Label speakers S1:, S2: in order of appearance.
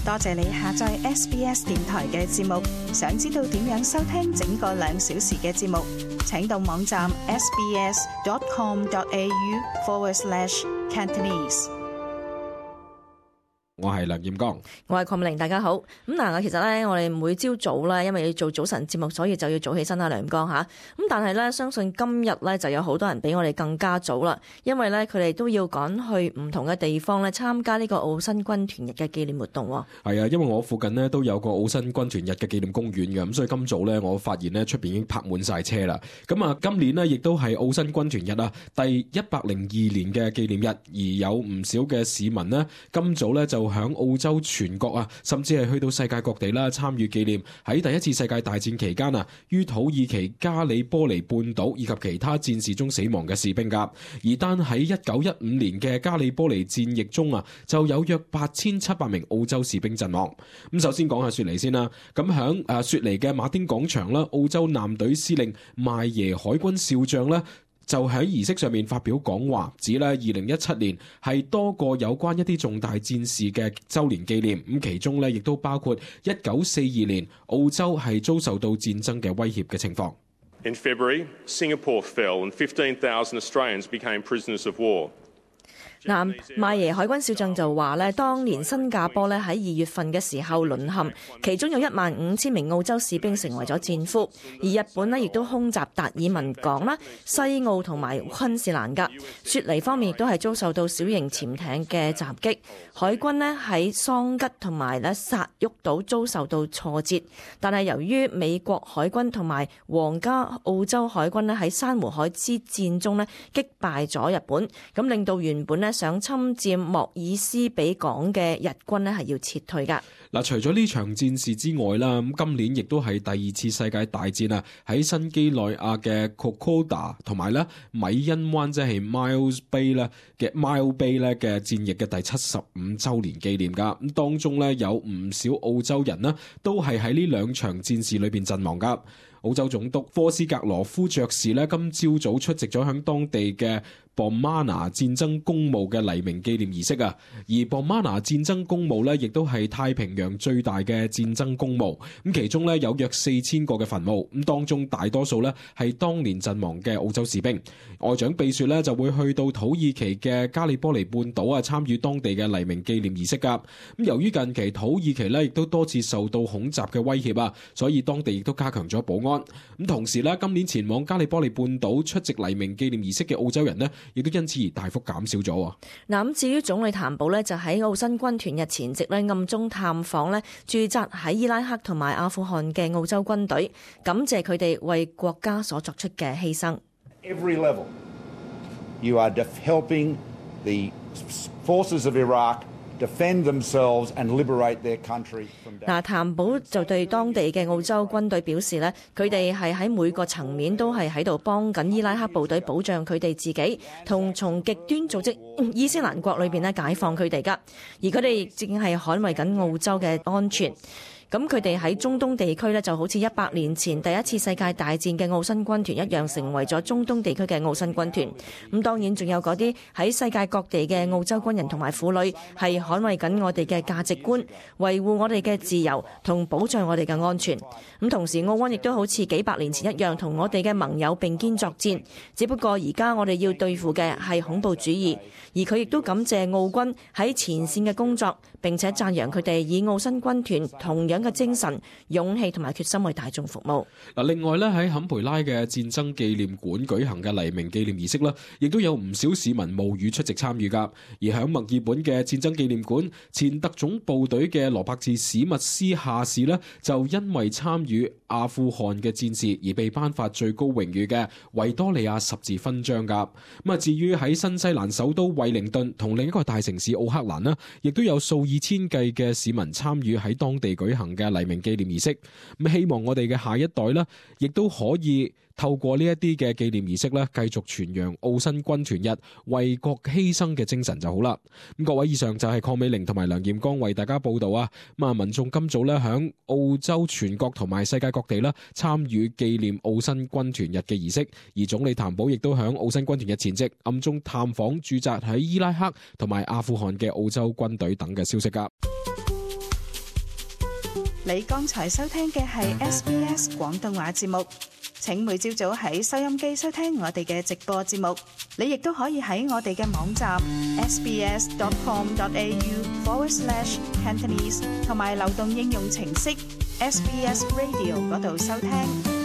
S1: 多謝你下載 SBS 電台嘅節目。想知道點樣收聽整個2小時嘅節目，請到網站 sbs.com.au/Cantonese。
S2: 我係梁艷剛，
S3: 我係鄺美玲，大家好。咁嗱，其實咧，我哋每朝早咧，因為要做早晨節目，所以就要早起身啦，梁艷剛吓。咁但係咧，相信今日咧就有好多人比我哋更加早啦，因為咧佢哋都要趕去唔同嘅地方咧參加呢個澳新軍團日嘅紀念活動。
S2: 係啊，因為我附近呢都有個澳新軍團日嘅紀念公園嘅，咁所以今早咧我發現呢出邊已經泊滿晒車啦。咁啊，今年呢亦都係澳新軍團日啊第102年嘅紀念日，而有唔少嘅市民呢今早咧就響澳洲全國啊，甚至係去到世界各地啦，參與紀念喺第一次世界大戰期間啊，於土耳其加里波尼半島以及其他戰事中死亡嘅士兵噶。而單喺1915年嘅加里波尼戰役中啊，就有約8700名澳洲士兵陣亡。咁首先講下雪梨先啦。咁響雪梨嘅馬丁廣場啦，澳洲艦隊司令邁耶海軍少將咧，就喺儀式上面發表講話，指咧2017年係多個有關一啲重大戰事嘅週年紀念，咁其中咧亦都包括1942年澳洲係遭受到戰爭嘅威脅嘅情況。
S4: In February, Singapore fell and 15,000 Australians became prisoners of war.
S3: 嗱，邁耶海軍少將就話咧，當年新加坡咧喺2月份嘅時候淪陷，其中有15000名澳洲士兵成為咗戰俘，而日本咧亦都空襲達爾文港啦、西澳同埋昆士蘭噶。雪梨方面亦都係遭受到小型潛艇嘅襲擊，海軍咧喺桑吉同埋咧薩沃島遭受到挫折，但係由於美國海軍同埋皇家澳洲海軍咧喺珊瑚海之戰中咧擊敗咗日本，咁令到原本咧想侵佔莫爾斯比港嘅日軍咧係要撤退噶。
S2: 嗱，除咗呢場戰事之外啦，咁今年亦都係第2次世界大戰啊，喺新幾內亞嘅 Kokoda 同埋咧米恩灣即係 Miles Bay 咧嘅 Mile Bay 咧嘅戰役嘅第75週年紀念噶。咁當中咧有唔少澳洲人呢都係喺呢2場戰事裏邊陣亡噶。澳洲總督科斯格羅夫爵士咧今朝早出席咗響當地嘅Bomana 戰爭公墓嘅黎明紀念儀式啊，而 Bomana 戰爭公墓咧，亦都係太平洋最大嘅戰爭公墓。咁其中咧有約4000個嘅墳墓，咁當中大多數咧係當年陣亡嘅澳洲士兵。外長貝雪咧就會去到土耳其嘅加里波尼半島啊，參與當地嘅黎明紀念儀式噶。咁由於近期土耳其咧亦都多次受到恐襲嘅威脅啊，所以當地亦都加強咗保安。咁同時咧，今年前往加里波尼半島出席黎明紀念儀式嘅澳洲人呢，亦都因此而大幅減少咗。
S3: 嗱，咁至於總理譚寶呢，就喺澳新軍團日前夕呢暗中探訪呢駐紮喺伊拉克同埋阿富汗嘅澳洲軍隊，感謝佢哋為國家所作出嘅犧牲。
S5: Every level, you are helping the forces of Iraq defend themselves and liberate their country from danger.
S3: 譚寶就對當地嘅澳洲軍隊表示呢，佢哋係喺每個層面都係喺度幫緊伊拉克部隊保障佢哋自己，同從極端組織伊斯蘭國裏邊咧解放佢哋噶，而佢哋亦正係捍衛緊澳洲嘅安全。咁佢哋喺中東地區呢，就好似100年前第一次世界大戰嘅澳新軍團一樣，成為咗中東地區嘅澳新軍團。咁當然仲有嗰啲喺世界各地嘅澳洲軍人同埋婦女，係捍衛緊我哋嘅價值觀，維護我哋嘅自由同保障我哋嘅安全。咁同時澳軍亦都好似幾百年前一樣，同我哋嘅盟友並肩作戰。只不過而家我哋要對付嘅係恐怖主義，而佢亦都感謝澳軍喺前線嘅工作，並且讚揚佢哋以澳新軍團同樣嘅精神、勇氣同埋決心為大眾服務。
S2: 嗱，另外咧喺坎培拉嘅戰爭紀念館舉行嘅黎明紀念儀式咧，亦都有唔少市民冒雨出席參與噶。而喺墨爾本嘅戰爭紀念館，前特種部隊嘅羅伯茨史密斯下士咧，就因為參與阿富汗嘅戰事而被頒發最高榮譽嘅維多利亞十字勳章噶。咁啊，至於喺新西蘭首都惠靈頓同另一個大城市奧克蘭呢，亦都有數以千計嘅市民參與喺當地舉行嘅黎明紀念儀式。咁希望我哋嘅下一代呢，亦都可以透過呢一啲嘅紀念儀式咧，繼續傳揚澳新軍團日為國犧牲嘅精神就好啦。咁各位，以上就係鄺美玲同埋梁艷剛為大家報道啊。咁啊，民眾今早咧響澳洲全國同埋世界各地啦參與紀念澳新軍團日嘅儀式，而總理譚寶亦都響澳新軍團日前夕暗中探訪駐紮喺伊拉克同埋阿富汗嘅澳洲軍隊等嘅消息噶。
S1: 你剛才收聽嘅係 SBS 廣東話節目。請每朝早喺收音機收聽我哋嘅直播節目。你亦都可以喺我哋嘅網站 sbs.com.au/Cantonese 同埋流動應用程式 SBS Radio 嗰度收聽。